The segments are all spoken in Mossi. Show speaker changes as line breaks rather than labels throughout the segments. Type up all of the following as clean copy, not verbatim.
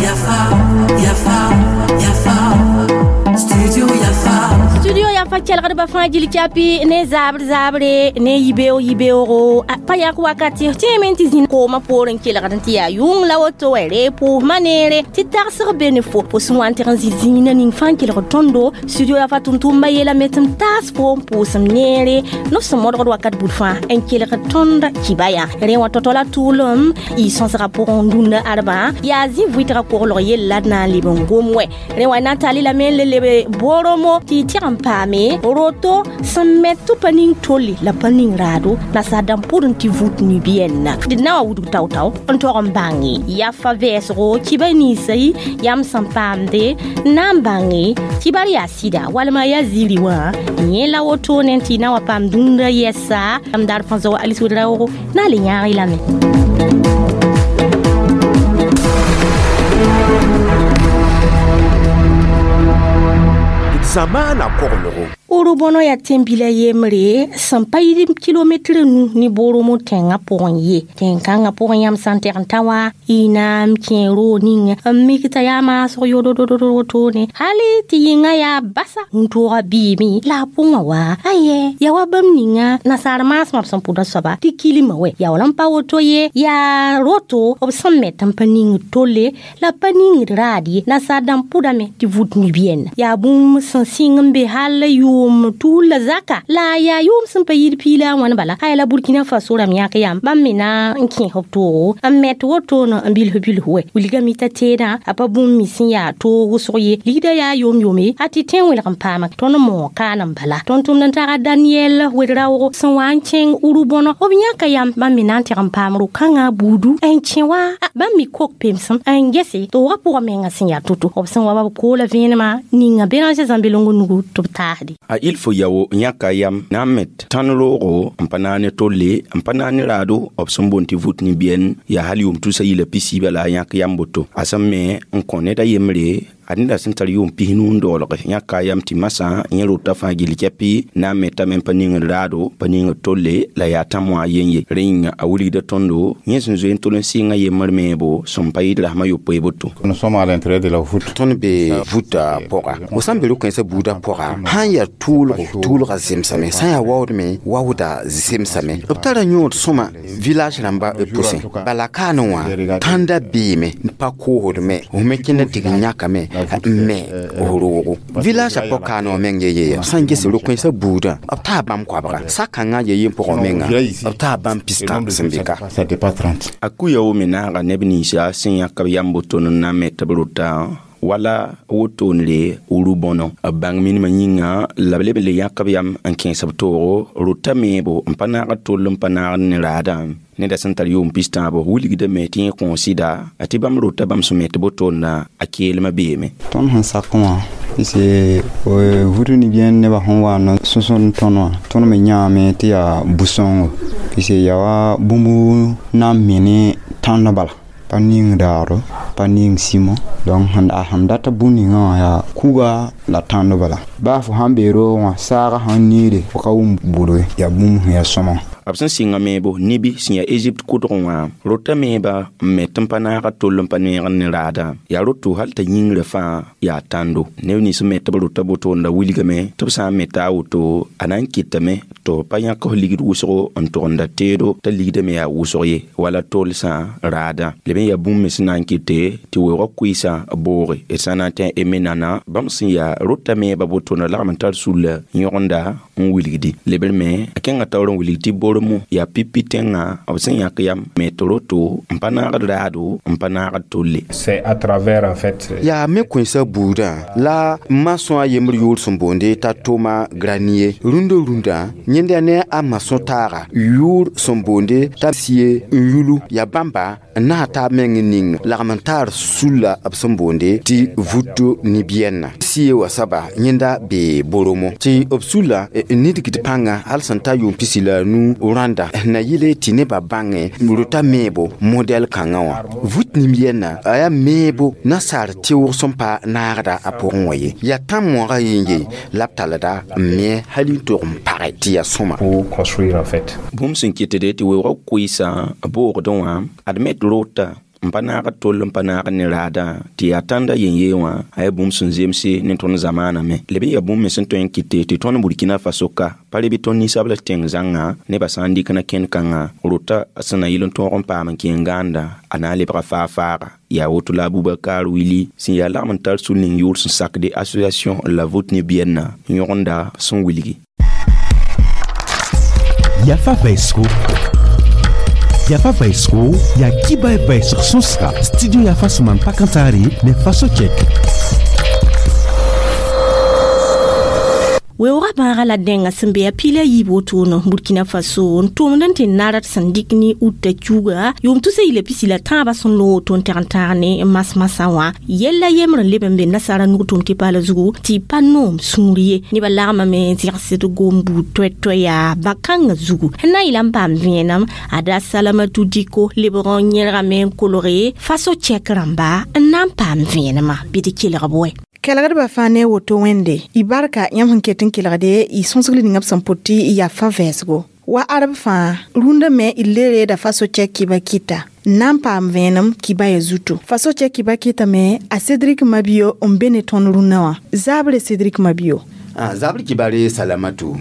Yafa, Yafa, Yafa, Studio Yafa.
Studio Yafa kelgdbã fãa gil kyapi ne zabr zabre ne yibeoog yibeoogo pa yak wakati tẽeme tɩ zĩ koomã poor n kelgd n tɩ yaa yʋng la woto wɛ ree pʋʋsmã neere tɩ tagsg be ne fo fo sẽn wa n tɩg n zĩ zĩigã ning fãa n kelgd tõndo studio Yafa tʋm-tʋmba yeelame tɩ m taas fo n pʋʋsem neere nob sẽn modgd wakat bud fãa n kelgd tõnd kiba yã rẽ wã tao-tao la tʋʋlem y sõsgã pʋgẽ dũnna ãdbã yaa zĩ vʋɩtgã koglg yell la d na n leb n gom wɛ rẽ wã na n tall lame n le lebe boromo tɩ y tɩg n paame roto sẽn met tɩ pa ning tolle la pa ning raado nasaar dãmb pʋd n tɩ vut nibiɛnna d na wa wudg tao-tao n tog n bãnge yafa vɛɛsgo kiba ninsã yãmb sẽn paamde n na n bãnge kibar yaa sɩda walma yaa ziiri wã yẽ la wotone tɩ y na wa paam dũnda yɛsa m dar fãa zoa Alice Ouedraogo na le yãag-y lame.
Zamaana koglgo.
Urubõno yaa tẽn-bila yembre sẽn pa yɩ kilometr nu ne Boromo tẽngã pʋgẽ ye tẽn-kãngã pʋgẽ yãmb sã n tɛg n ta wa y na n kẽ roog ning n mik t'a yaa maasg yodododo wotone hali tɩ yĩngã yaa basa wũntooga bɩɩme la a pʋgã wa ayɛ yaa wa bãmb ninga nasaar maasmã b sẽn pʋda soaba tɩ kilmã wɛ yaa wala n pa woto ye yaa roto b sẽn met n pa ningd tolle la pa ningd raad ye nasaar dãmb pʋdame tɩ vut nibiɛnna yaa bũmb sẽn sɩng n be hal yʋʋm tuul la zaka la yaa yʋʋm sẽn pa yir piila a wãn bala aya la Burkina Faso rãmb yãk yam bãmb me na n kẽes b toogo n met wotone n bilf bilf wɛ wilgame t'a teedã a pa bũmb me sẽn yaa toog wʋsg ye ligda yaa yom-yome a tɩ tẽ wẽlg n paama tõnd moog kaan n bala tõnd tʋmd n taga Daniel Ouedraogo sẽn wa n kẽng Urubõno b yãka yam bãmb me na n tɩg n paam ro-kãngã buudu n kẽ wa bãmb me kok pemsem n gese toogã pʋgã menga sẽn yaa to-to b sẽn wa ba b koola vẽenemã ninga Béranger Zãmbelongo nugu tɩ b taasde.
A il fo yao yãka yam na n met tãn roogo n pa naane tolle n pa naane raado b sẽn boond tɩ vut nibiɛn yaa hal yʋʋm tusa yila pisiiba la a yãk yam boto a sẽn me n kõ ned a yembre a neda sẽn tar yʋʋm 90 n doolge yãka yam tɩ masã yẽ rota fãa gill kɛpɩ na n metame n pa ningd raado pa ningd tolle la yaa tãm wã yen ye rẽ yĩnga a wilgda tõndo yẽ sẽn zoe n tol n sɩnga yembr meebo sẽn pa yɩd rasmã yopoe boto.
Nous sommes à l'intérieur de la voûte.
Tõnd be vũta pʋga fo sã n be ro-kãensã buudã pʋga sã n yaa tʋʋlgo tʋʋlga zemsame sã n yaa waoodme waooda zemsame b tara yõod sõma village rãmba b pʋsẽ bala kaane wã tãnda beeme n pa koosdme f me kẽnd n tɩg n yãkame n me f roogo village a pa kaane wã meng ye yeya sã n ges ro-kãensã buudã b taa bãmb koabga sa-kãngã ye yen pʋgã menga b taa bãmb pistã sẽn be ka.
Ça dépasse 30.
A kuya wo me naaga neb ninsã sẽn yãk b yam boto n na met b rota wala wotonre Urubõno b bãng minimã yĩnga la b leb n le yãk b yam n kẽes b toogo rota meebo n pa naagd toll n pa naagd ne raadã neda sẽn tar yʋʋm pistãabo wilgdame tɩ yẽ kõo sɩda a tɩ bãmb rota bãmb sẽn met botonna a keelmã beeme.
Tõnd sẽn sak wã pise vut nibiɛn nebã sẽn wa n sõsd tõnd wã tõnd me yãame tɩ yaa bu-sõngo pise yaa wa bũmb na n me ne tãnd bala pa ning daado pa ning simo donc sẽn data bũmb ninga wã yaa kuga la tãnd bala baa fo sãn bee roog wã saaga sãn niide fo ka wʋm bʋd yaa bũmb sẽn yaa sõma.
B sẽn sɩnga meebo nibi sẽn yaa Egypte kʋdgẽ wã rota meeba n met n pa naag toll n pa neegd ne raadã yaa roto hal t'a yĩngrã fãa yaa tãndo neb nins n met b rota botoonda wilgame tɩ b sã n meta a woto a na n kɩtame tɩ b pa yãk f ligd wʋsgo n togenda teedo t'a ligdame yaa wʋsg ye wala tolsã raadã leb n yaa bũmb me sẽn na n kɩte tɩ weoogã kʋɩɩsã booge d sã na n tẽ menana bãmb sẽn yaa rota meeba botoonda lagm n tar sulla yõgenda n wilgdi lebr me a kẽngã taoor n wilg tɩ boromo yaa pipi tẽngã b sẽn yãk yam met roto n pa naagd raado n pa naagd tolle.
C'est à travers en fait.
Yaa me kõensã buudã la masõ a yembr yʋʋr sẽn boonde t'a Toma Granier rũndã rũndã yẽnda ne a masõ taaga yʋʋr sẽn boonde t'a sie n yulu yaa bãmba n na taab meng n ning lagm n taar sulla b sẽn boonde tɩ vut nibiɛnna sie wa saba yẽnda bee Boromo tɩ b sulla Nidgd pãnga hal sẽn ta yʋʋm 15 rãnda na yɩle tɩ nebã bãngẽ rota meebo modɛl kãngã wã. Vut nim-yɛnna a yaa meebo nasaar tɩʋg sẽn pa naagda a pʋgẽ wã ye. Yaa tãn-moagã yen ye la b talda n me hal n tog n page tɩ yaa sõma.
Pour construire en fait.
Bũmb sẽn kɩtde tɩ weoogã koɩɩsã boogdẽ wã ad me d rota n pa naag tol n pa naag ne raadã tɩ yaa tãnda yen-yee wã a yaa bũmb sẽn zemse ne tõnd zamaanã me. Leb n yaa bũmb me sẽn tõe n kɩte tɩ tõnd Burkina Faso ka pa re bɩ tõnd ninsabl tẽng zãnga nebã sã n dɩk na kẽnd kãngã rota sẽn na yɩl n tõog n paam n kẽ n gãanda a na n lebga faa-faaga. Yaa woto la Abubakar Wili sẽn yaa lagm n tar sul ning yʋʋr sẽn sakde association La Voûte Nubienne yõgenda sẽn wilgi.
Yafa vɛɛsgo. Yafa vɛɛsgo yaa kiba vɛɛsg sõsga studio Yafa sẽn maan pakãntaare ne Faso Check.
Weoogã bãaga la dẽnga sẽn be a pila yiib wotone Burkina Faso n tʋmd n tɩ nard sẽn dɩk ne uta kiuga yʋʋm tusa yila pisi la tãabã sẽn loog woto n tɛg n tãag ne mas-masã wã. Yella yembr n leb n be nasaara nug tʋm tɩ paala zugu tɩ pa noom sũur ye. Nebã lagmame n zẽgsd gom buud toɛ-toɛ yaa bã-kãngã zugu. N na n yɩla n paam vẽenem a da Salamatu Diko lebg n yẽlgame n kolge Faso Check rãmba n na n paam vẽenemã bɩ d kelg b wɛ.
Kelgdbã fãa ne woto wẽnde y barka yãmb sẽn ket n kelgde y sõsg ninga b sẽn pʋt tɩ y yaa fa vɛɛsgo. Wa arb fãa rũndã me y le reeda Faso Check kiba kɩta n na n paam vẽenem kiba ya zuto. Faso Check kiba kɩtame a Cédric Mabio n be ne tõnd rũnnã wã. Zabre Cédric Mabio.
Zabr kibare Salamatu.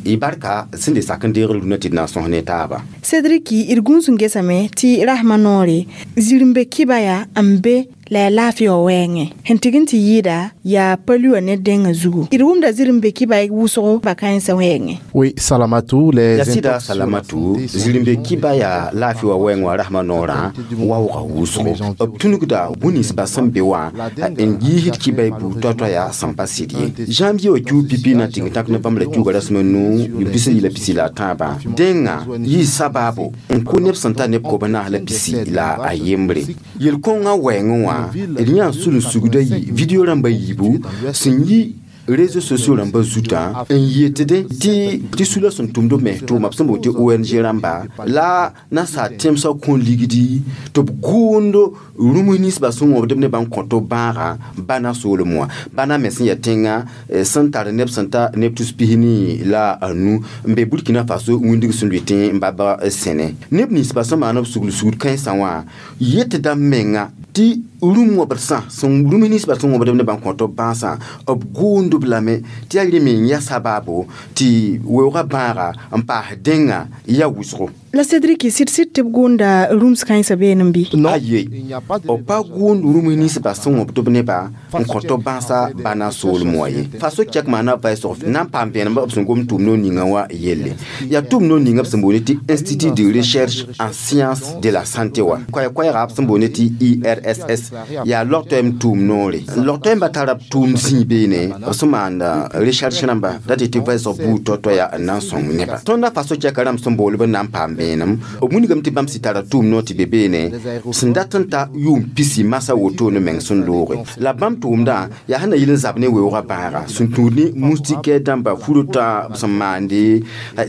Y barka sẽn de sak n deegr rũnã tɩ d na n sõs ne taaba.
Cédric d gũus n gesame tɩ rasmã noore zirẽ-be kiba yaa n be la yaa laafɩ wã wɛɛngẽ. Sẽn tɩg n tɩ yɩɩda yaa pa-luã ne dẽngã zugu. D wʋmda zirẽ-be kiba wʋsgo ba-kãensã wɛɛngẽ.
Oui, Salamatou, les
Ya sɩda Salamatu, zirẽ-be kiba yaa laafɩ wã wɛɛng wã rasmã noorã waoogã wʋsgo. B tũnugda bũn-ninsbã sẽn be wã n yiisd kiba y buud toa-toa yaa sẽn pa sɩd ye. Janvier wã kiu pipi na tɩng tãk ne bãmb la kiuga rasem nu pis yila pisi la tãabã. Dẽngã yɩ sabaabo n kʋ neb sẽn ta neb kob naas la pisi la a yembre. Yel-kõngã wɛɛngẽ wã d yã sul n sugda yi video rãmba yiibu sẽn yi réseaux sociaux rãmba zutã n yetde tɩ sula sẽn tʋmd b mens tʋʋma b sẽn boond tɩ ONG rãmba la nasaar tẽmsã kõ ligdi tɩ b gʋʋnd rũms ninsbã sẽn wõbd b nebã n kõt b bãagã bãna soolem wã. Bãna me sẽn yaa tẽngã sẽn tar neb sẽn ta neb tus pisni la a nu n be Burkina Faso wĩndg sẽn lʋɩ tẽ n baba sẽne. Neb ninsbã sẽn maan b sugl sugr kãensã wã yetda menga tɩ rũm wõbdsã sẽn rũms ninsbã sẽn wõbd b nebã n kõt b bãasã b gʋʋnd b lame tɩ yaa rẽ me n yaa sabaabo tɩ weoogã bãaga n paas dẽngã yaa wʋsgo.
La Cédric sɩd-sɩd tɩ b gʋʋnda rũms kãensã beene bɩ?
Aye, b pa gʋʋnd rũms ninsbã sẽn wõbd b nebã n kõt b bãasã bãna soolem wã ye. Faso Check maana vɛɛsg na n paam vẽenem b sẽn gom tʋʋm noor ninga wã yelle. Yaa tʋʋm noor ninga b sẽn boond tɩ Institut de recherche en sciences de la santé wã. Koɛɛ-koɛɛga b sẽn boond tɩ IRSS yaa log-toɛɛm tʋʋm noore. Log-toɛɛmbã tara b tʋʋm zĩig beene b sẽn maand recherche rãmba da tɩ tɩ vɛɛsg buud toa-toa yaa n na n sõng neba. Tõnda Faso Check rãmb sẽn bool b n na n paam vẽenem b wilgame tɩ bãmb sɩ tara tʋʋm noor tɩ be beene sẽn dat n ta yʋʋm pisi masã wotone meng sẽn looge. La bãmb tʋʋmdã yaa sẽn na yɩl n zab ne weoogã bãaga sẽn tũud ne moustiquaire dãmba furotã b sẽn maande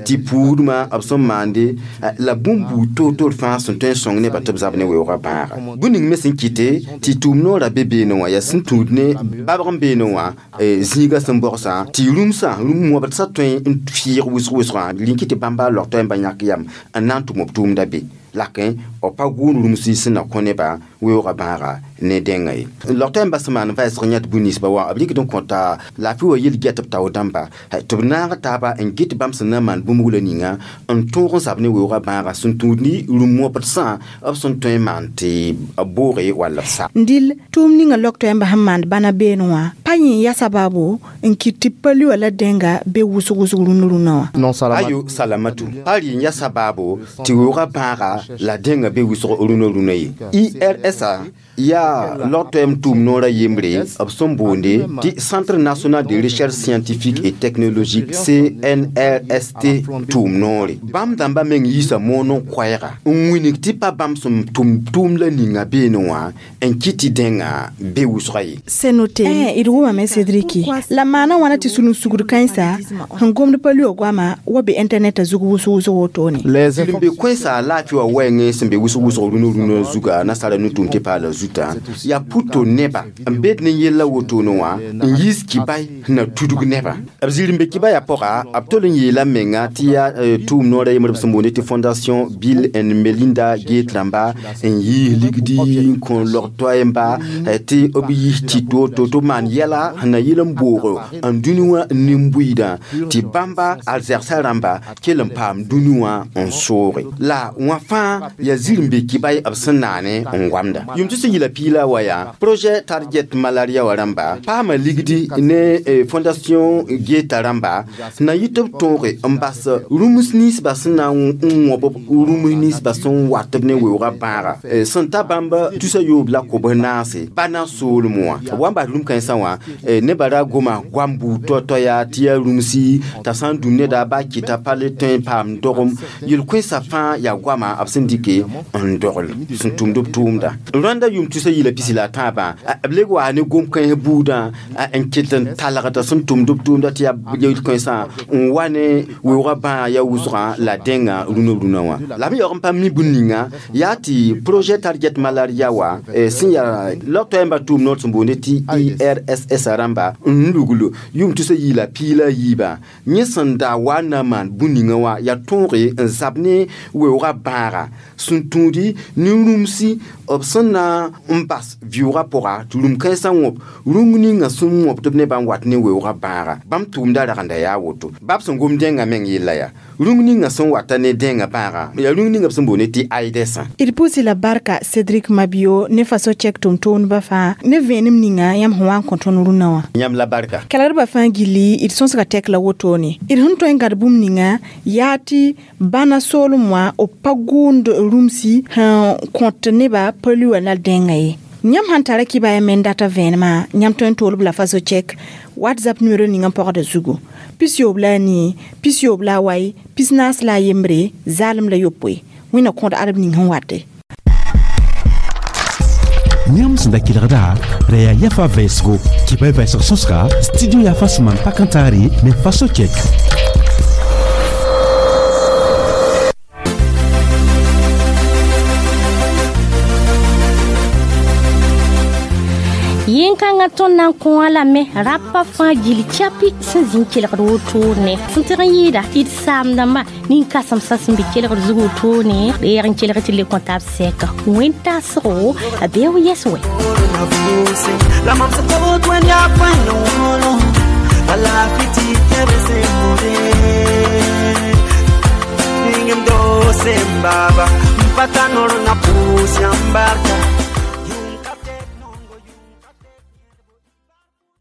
tɩ puudmã b sẽn maande la bũmb buud toor-toor fãa sẽn tõe n sõng nebã tɩ b zab ne weoogã bãaga. Bũmb ning me sẽn kɩte tɩ tʋʋm noorã be beene wã yaa sẽn tũud ne babg n beene wã zĩigã sẽn bogsã tɩ rũmsã rũm wõbdsã tõe n fɩɩg wʋsg-wʋsgã rĩnki tɩ bãmba log-toɛɛmbã yãk yam n na n tʋm b tʋʋmda be. Lakẽ b pa gʋʋnd rũmsɩ sẽn na kõ nebã weoogã bãaga ne dẽngã ye. Log-toɛɛmbã sẽn maan vɛɛsg yãt bũn-ninsbã wã b rɩkd n kõta laafɩ wã yel-gɛt b tao dãmba tɩ b naag taaba n gɩt bãmb sẽn na n maan bũmb wula ninga n tõog n zab ne weoogã bãaga sẽn tũud ne rũm wõbdsã b sẽn tõe n maan tɩ b booge wall b sa.
Dɩl tʋʋm ninga log-toɛɛmbã sẽn maand bãna beene wã pa yẽ yaa sabaabo n kɩt tɩ pa-luã la dẽnga be wʋsg-wʋsg rũnd rũnnã wã.
Non, Salamatu.
Ayo Salamatu, pa rɩ n yaa sabaabo tɩ weoogã bãaga la dẽngã be wʋsg rũnã rũnã ye. IRSA yaa log-toɛɛm tʋʋm noorã yembre b sẽn boonde tɩ Centre national de recherche scientifique et technologique CNRST tʋʋm noore. Bãmb dãmba meng yiisa moon n koɛɛga n wilg tɩ pa bãmb sẽn tʋm tʋʋm la ninga beene wã n kɩt tɩ dẽngã be wʋsga ye.
C'est noté. D wʋmame Cédriki la maana wãna tɩ sulun sugd kãensa sẽn gomd pa lʋɩ goama wa be internet zug wʋsg wʋsg wotone.
Sɩd n be kõ-sã laafɩ wã wɛɛngẽ sẽn be wʋsg wʋsg rũnã rũnã zuga nasaara nu-tʋʋm tɩ paala zuta yaa puto neba n bed ne yella wotone wã n yiis kibay sẽn na tudg nebã. B zir n be kibaya pʋga b tol n yeela menga tɩ yaa tʋʋm noorã yembr b sẽn boonde tɩ Fondation Bill and Melinda Gates rãmba n yiis ligdi n kõ log-toɛɛmba tɩ b yiis tɩ to tɩ b maan yɛla sẽn na yɩl n boog n dũni wã nin-buiidã tɩ bãmba alzɛgsã rãmba kell n paam dũni wã n sooge. La wã fãa yaa zir n be kibay b sẽn naane n goamda. Yʋm tɩ sẽn yɩla piila wa yaa projet target malaria wã rãmba paama ligdi ne Fondation Gates rãmba sẽn na yɩ tɩ b tõoge n bas rũms ninsba sẽn na n wõb rũms ninsba sẽn wat b ne weoogã bãaga sẽn ta bãmb tusa yoob la kobs naase bana soolem wã. B wa n bas rũm kãensã wã nebã ra goma goam buud tao-tao yaa tɩ yaa rũmsi t'a sã n dũm neda ba kɩta pa le tõe n paam dogem yel-kõensã fãa yaa goama b sẽn dɩke n dogl sẽn tʋmd b tʋʋmda. Rwanda yʋm tusa yɩla pisi la a tãabã b leg waa ne gom-kãens buudã n ket n talgda sẽn tʋmd b tʋʋmda tɩ yaa yel-kãensã n wa ne weoogã bãag yaa wʋsgã la dẽngã rũnã rũnã wã. La b yaoog n pa mi bũn ninga yaa tɩ projet target malaria wã sẽn yaa log-toɛɛmbã tʋʋm noor sẽn boonde tɩ IRSS rãmba n lugl yʋm tusa yɩla piila yiibã yẽ sẽn da wa na n maan bũn ninga wã yaa tõoge n zab ne weoogã bãaga sẽn tũudi ne rũmsi b sẽn na n bas vɩʋʋgã pʋga tɩ rũm-kãensã wõb rũm ninga sẽn wõbd b nebã n wat ne weoogã bãaga bãmb tʋʋmda ragenda yaa woto. Bab sẽn gom dẽngã meng yella yaa rũm ninga sẽn wata ne dẽngã bãaga yaa rũm ninga b sẽn boonde tɩ AIDESã.
D pʋʋsɩ la barka Cédric Mabio ne faso chɛk tʋm-tʋʋmdbã fãa ne vẽenem ninga yãmb sẽn wa n kõ tõnd rũnã wã.
Yãmb la barka.
Kelgdbã fãa gilli d sõsga tɛk la wotone. D sẽn tõe n gãd bũmb ninga yaa tɩ bãna soolem wã b pa gʋʋnd rũmsi sẽn kõt nebã pa lʋɩ la dẽngã ye. Yãmb sãn tara kibaya me n data vẽenemã yãmb tõe n tool b la faso chɛk WhatsApp numéro ninga n pɔgda zugu 91 la 2 94 la 1 zaalem la yopoe wẽnna kõd adb ning sẽn wate.
Yãmb sẽn da kelgda ra yaa yafa vɛɛsgo kibay vɛɛsg sõsga studio yafa sẽn maan pa-kãntaare ne faso chɛk.
Yẽn-kãngã tõnd na n kõ lame rapa fãa gil chapi sẽn zĩ n kelgd wotone sẽn tɩg n yɩɩda tɩ d saamdãmbã nin-kãsemsã sẽn be kelgd zug wotone reeg n kelg tɩ le kõ tab sɛka wẽn-tasgo a bee yɛs wɛ.
La mam sẽn kot wẽnd yaa pãn wolo wala fiti tebe se mure ningem do se baba mpata noro na pusi ambarka.